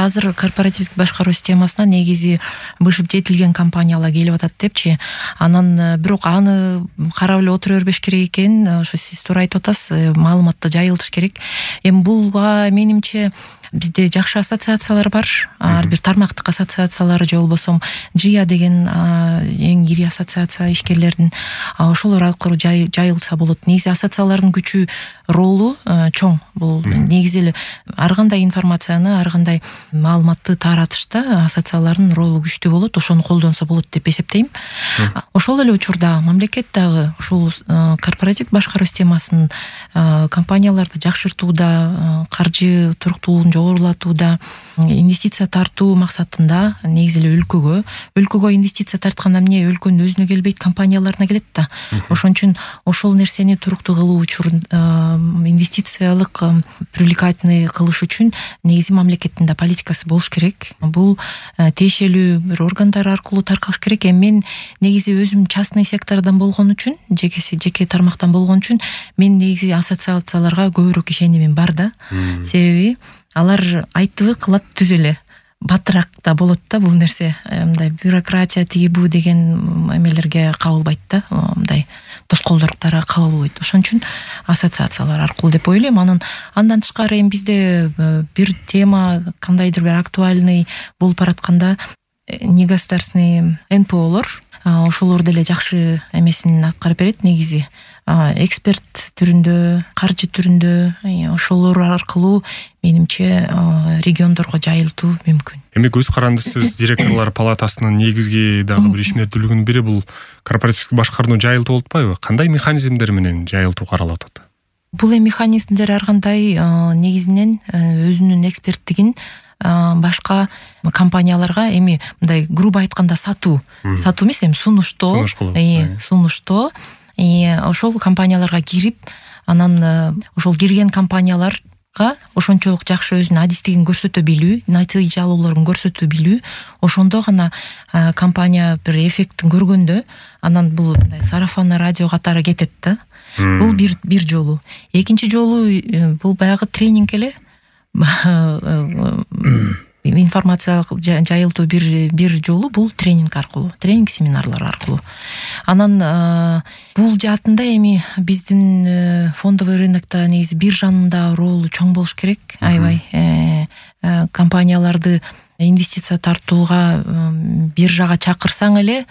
азыр корпоративдик башкаруу системасына негизи бышып жетилген компаниялар келип атат депчи. Анан бирок аны карап эле отура бербеш керек экен. Ошо сиз туура айтып атасыз, маалыматты жайылтыш керек. Эми булга менимче бизде жакшы ассоциациялар бар. Ар бир тармактык ассоциациялары же болбосо ЖИА деген эң ири ассоциация ишкерлердин, ошолор аркылуу жайылса болот. Негизи ассоциациялардын күчү, ролу чоң. Бул негизи эле ар кандай информацияны, ар кандай маалыматты таратышта ассоциациялардын ролу күчтүү болот. Ошону колдонсо болот деп эсептейм. Ошол эле учурда мамлекет дагы ушул корпоративдик башкаруу системасын компанияларды жакшыртууда, каржы туруктуулугун жогорулатууда, инвестиция тартуу максатында негизи эле өлкөгө инвестиция тартканда эмне, өлкөнүн өзүнө келбейт, компанияларына келет да. Ошон үчүн ошол нерсени туруктуу кылуу үчүн, инвестициялык привлекательный кылыш үчүн негизи мамлекеттин да политикасы болуш керек. Бул тиешелүү бир органдар аркылуу таркалыш керек. Мен негизи өзүм частный сектордон болгон үчүн, жеке тармактан болгон үчүн мен негизи ассоциацияларга көбүрөөк ишенимим бар да. Себеби алар айттыбы кылат, түз эле. Батыраак да болот да бул нерсе. Мындай бюрократия тиги бу деген эмелерге кабылбайт да. Мындай тоскоолдордорго кабылбайт. Ошон үчүн ассоциациялар аркылуу деп ойлойм. Андан тышкары эми бизде бир тема кандайдыр бир актуальный болуп баратканда негосударственный НПОлор ошолор деле жакшы эмесин аткарып берет негизи. Эксперт түрүндө, каржы түрүндө, ошолор аркылуу менимче региондорго жайылтуу мүмкүн. Эми көз карандысыз директорлор палатасынын негизги дагы бир ишмердүүлүгүнүн бири бул корпоративдик башкарууну жайылтуу болуп атпайбы? Кандай механизмдер менен жайылтуу каралып атат? Бул механизмдер ар кандай негизинен өзүнүн эксперттигин башка компанияларга, эми мындай грубо айтканда сатуу эмес, эми сунуштоо ошол компанияларга кирип, анан ошол кирген компанияларга ошончолук жакшы өзүнүн адистигин көрсөтө билүү, натыйжалуулорун көрсөтө билүү, ошондо гана компания бир эффектин көргөндө анан бул сарафанный радио катары кетет да. Бул бир жолу. Экинчи жолу бул баягы тренинг эле. Информациялык жайылтуу бир жолу бул тренинг аркылуу, тренинг семинарлар аркылуу. Анан бул жаатында эми биздин фондовый рынокто негизи биржанын да ролу чоң болуш керек. Аябай компанияларды инвестиция тартууга биржага чакырсаң эле,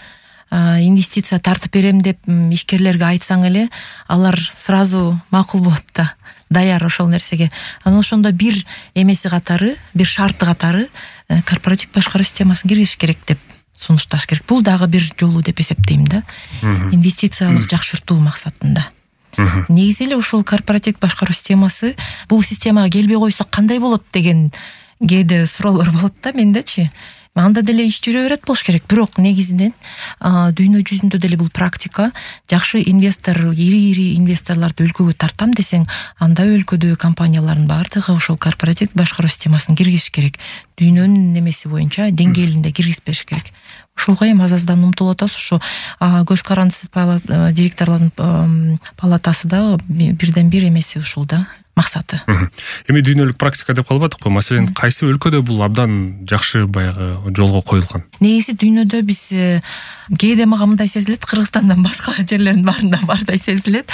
инвестиция тартып берем деп ишкерлерге айтсаң эле, алар сразу макул болот да. Даяр ошол нерсеге. Анан ошондо бир эмеси катары, бир шарты катары корпоративдик башкаруу системасын киргизиш керек деп сунушташ керек. Бул дагы бир жолу деп эсептейм да. Инвестициялык жакшыртуу максатында. Негизи эле ошол корпоративдик башкаруу системасы, бул системага келбей койсок кандай болот деген кээде суроолор болот да мендечи. Анда деле иш жүрө берет болуш керек. Бирок негизинен дүйнө жүзүндө деле бул практика. Жакшы инвестор, ири инвесторлорду өлкөгө тартам десең, анда өлкөдөгү компаниялардын баардыгы ошол корпоративдик башкаруу системасын киргизиш керек. Дүйнөнүн немеси боюнча деңгээлинде киргизбеш керек. Ошолго эми азаздан умтулуп атабыз. Ошо көз карандысыз директорлордун палатасы да бирден бир эмеси ушул да. Максаты. Эми дүйнөлүк практика деп калбадыкпы? Маселен, кайсы өлкөдө бул абдан жакшы баягы жолго коюлган? Негизи дүйнөдө биз кээде мага мындай сезилет, Кыргызстандан башка жерлердин баарында бардай сезилет.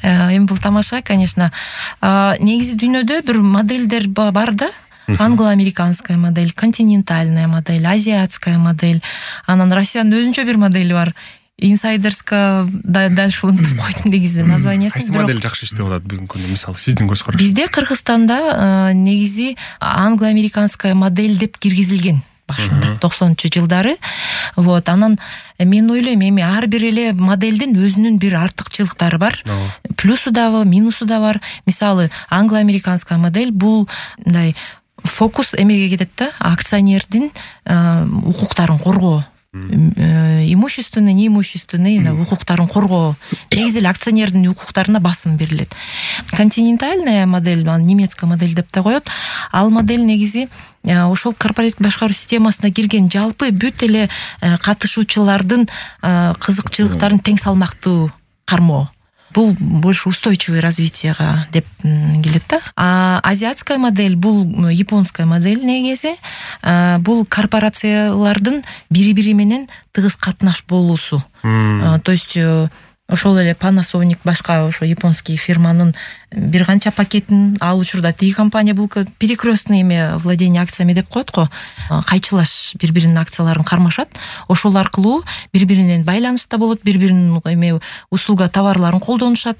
Эми бул тамаша, конечно. Негизи дүйнөдө бир моделдер бар да. Англо-американская модель, континентальная модель, азиатская модель. Анан Россиянын өзүнчө бир модели бар. Инсайдерска дальше унутуп койдум негизи названиясын. Кайсы модель жакшы иштеп атат бүгүнкү күндө, мисалы сиздин көз караш? Бизде Кыргызстанда негизи англо-американская модель деп киргизилген башында 90-жылдары. Вот, анан мен ойлойм, эми ар бир эле модельдин өзүнүн бир артыкчылыктары бар. Плюсу дагы, минусу да бар. Мисалы англо-американская модель бул мындай фокус эмеге кетет да, акционердин укуктарын коргоо. Имущественный, неимущественный укуктарын коргоо. Негизи эле акционердин укуктарына басым берилет. Континентальная модель, немецкая модель деп да коет. Ал модель негизи ошол корпоративдик башкаруу системасына кирген жалпы бүт эле катышуучулардын кызыкчылыктарын тең салмактуу кармоо. бул больше устойчивый развитияга деп келет да. А азиатская модель бул японская модель негизи. Бул корпорациялардын бири-бири менен тыгыз катнаш болуусу. То есть ошол эле Panasonic башка ошо японский фирманын бир канча пакетин ал учурда тиги компания бул перекрестный владение акциями деп коет го. Кайчылаш бири-биринин акцияларын кармашат. Ошол аркылуу бири-биринен байланышта болот, бири-биринин услуга товарларын колдонушат.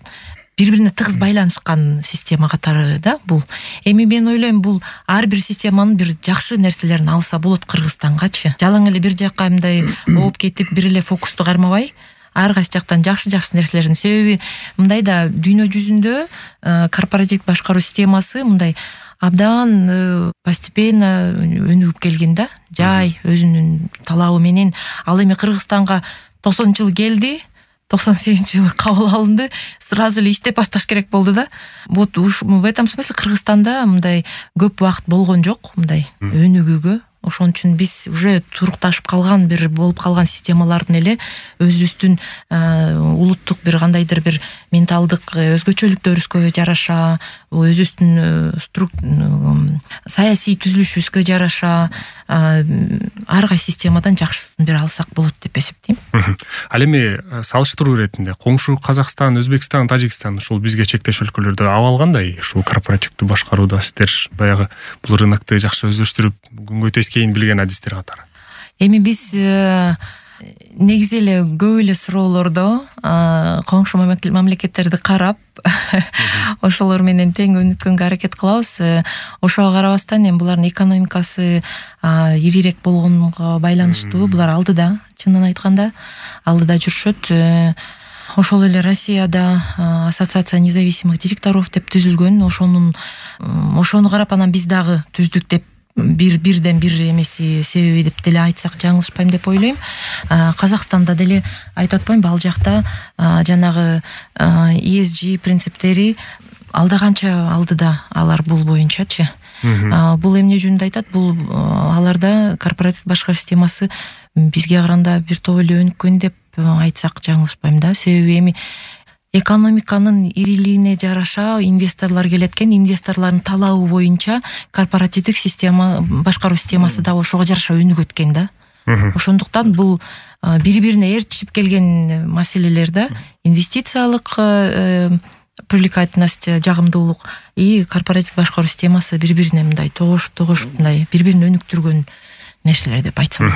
Бири-бирине тыгыз байланышкан система катары да бул. Эми мен ойлойм бул ар бир системанын бир жакшы нерселерин алса болот Кыргызстангачы. Жалаң эле бир жакка мындай ооп кетип бир эле фокусту кармабай, ар кайсы жактан жакшы нерселерин, себеби мындай да дүйнө жүзүндө корпоративдик башкаруу системасы мындай абдан постепенно өнүгүп келген да. Жай өзүнүн талабы менен. Ал эми Кыргызстанга 90-жылы келди, 98-жылы кабыл алынды, сразу эле иштеп башташ керек болду да. Вот в этом смысле Кыргызстанда мындай көп убакыт болгон жок, мындай өнүгүүгө. Ошон үчүн биз уже турукташып калган бир болуп калган системалардын эле өзүбүздүн улуттук бир кандайдыр бир менталдык өзгөчөлүктөрүбүзгө жараша, өзүбүздүн саясий түзүлүшүбүзгө жараша ар кайсы системадан жакшысын бир алсак болот деп эсептейм. Ал эми салыштыруу иретинде коңшу Казакстан, Өзбекстан, Тажикстан ушул бизге чектеш өлкөлөрдө абал кандай? Ушул корпоративдүү башкарууда сиздер баягы бул рынокты жакшы өздөштүрүп күнгөй тескейин билген адистер катары. Эми биз негизи эле көп эле суроолордо коңшу мамлекеттерди карап ошолор менен тең өнүккөнгө аракет кылабыз. Ошого карабастан эми булардын экономикасы ирирээк болгонго байланыштуу, булар алдыда, чынын айтканда алдыда жүрүшөт. Ошол эле Россияда ассоциация независимых директоров деп түзүлгөн. Ошону карап анан биз дагы түздүк деп бирден бир эмеси себеби деп деле айтсак жаңылышпайм деп ойлойм. Казакстанда деле айтып атпаймынбы, ал жакта жанагы ESG принциптери алда канча алдыда алар бул боюнчачы. Бул эмне жөнүндө айтат? Бул аларда корпоративдик башкаруу системасы бизге караганда бир топ эле өнүккөн деп айтсак жаңылышпайм да. Себеби эми экономиканын ирилигине жараша инвесторлор келет экен, инвесторлордун талабы боюнча корпоративдик система, башкаруу системасы да ошого жараша өнүгөт экен да. Ошондуктан бул бири-бирине ээрчип келген маселелер да. Инвестициялык привлекательность, жагымдуулук и корпоративдик башкаруу системасы бири-бирине мындай тогушуп мындай бири-бирин өнүктүргөн нерселер деп айтсам.